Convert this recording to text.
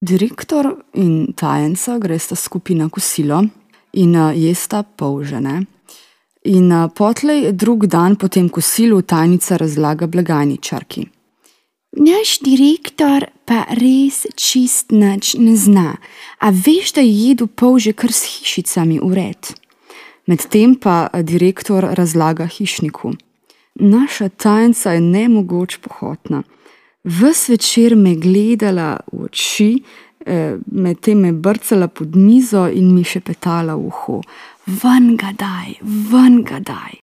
Direktor in tajenca gresta skupaj na kosilo in jesta polžene. In potlej drug dan po tem kosilu tajnica razlaga blagajničarki. Naš direktor pa res čist nič ne zna. A veš, da je jedel polže kar s hišicami vred? Medtem pa direktor razlaga hišniku. Naša tajenca je nemogoč pohotna. Ves večer me gledala v oči, medtem me brcala pod mizo in mi šepetala v uho. Ven ga daj, ven ga daj.